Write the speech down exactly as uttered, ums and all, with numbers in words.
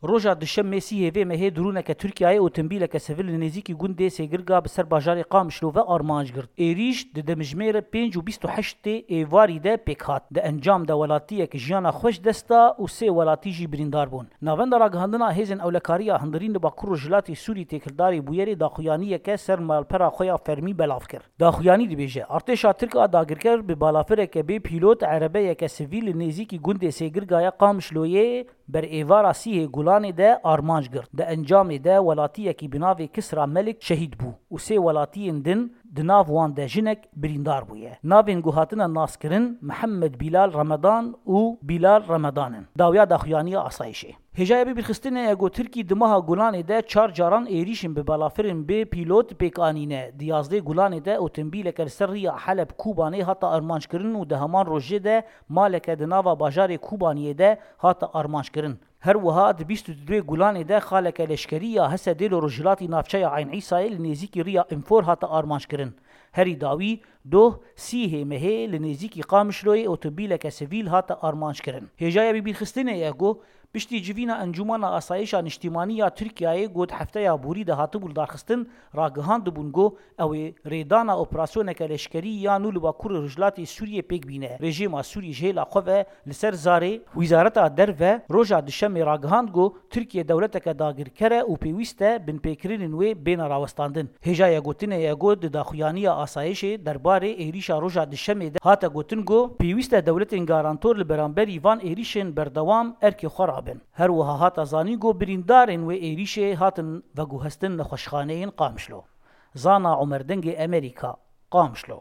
Roja Duşemê sîhê vê mehê droneke Tirkiyeyê otomobîleke sivîl li nêzîkî gundê Sêgirga bi ser bajarê Qamişlo ve armanc girt. Êrîş di demjimêr pênc û bîst û heştê êvarî de pêk hat. Di encam de welatiyek jiyana xwe ji dest da û sê welatî jî birîndar bûn. Navenda ragihandina hêzên ewlekariya hundirîn li Bakur Rojhilatê Sûrî têkildarî bûyerê daxuyaniyeke ser malpera xwe ya fermî belav kir. Daxuyanî dibêje, artêşa Tirk a dagirker bi balafireke bê pîlot erebeyeke sivîl li nêzîkî gundê Sêgirgaya Qamişloyê ber êvara sîhê Gulanê de armanc girt. Di encamê de welatiyekî bi navê Kisra Melik şehîd bû û sê welatiyên din, di nav wan de jinek, birîndar bûye. Navên ku hatine naskirin Mihemed Bilal Remedan û Bilal Remedan in. Dawiya daxuyaniya asayişê. Hêjaya bibîrxistinê ye ku Tirkî di meha Gulanê de çar caran êrîşên bi balafirên bê pîlot pêk anîne. Di yazdê Gulanê de otomobîleke li ser riya Heleb Kûbanê hate armanckirin û di heman rojê de maleke di nava bajarê Kûbaniyê de hate armanckirin. Her wiha di bîst û duyê Gulanê de xaleke leşkerî ya H S D'ê li rojhilatî navçeya Eyn Îsayê li nêzîkî riya Înfor hate armanckirin. Herî dawî doh sîhê mehê li nêzîkî Qamişloyê otomobîleke sivîl hate armanckirin. Hêjaya bibîrxistinê ye ku piştî civîna Encûmena Asayişa Niştîmanî ya Tirkiyeyê ku di hefteya borî de hatibû lidarxistin, ragihantibûn ku ew ê rêdana operasyoneke leşkerî ya nû li Bakurê Rojhilatê Sûriyê pêk bîne. Rejîma Sûrî ji hêla xwe ve li ser zarê, Wizareta Derve roja Duşemê ragihand ku Tirkiye dewleteke dagirker e û pêwîst e binpêkirinên wê bêne rawestandin. Hêjaya gotinê ye ku di daxuyaniya asayişê derbarê êrîşa roja Duşemê de hate gotin ku pêwîst e dewletên garantor li beramberî van êrîşên berdewam erkê xwe rabin. Her wiha hate zanîn ku birîndarên wê êrîşê hatin veguhestin nexweşxaneyên Qamişlo. Zana Omer, Dengê Emerîka, Qamişlo.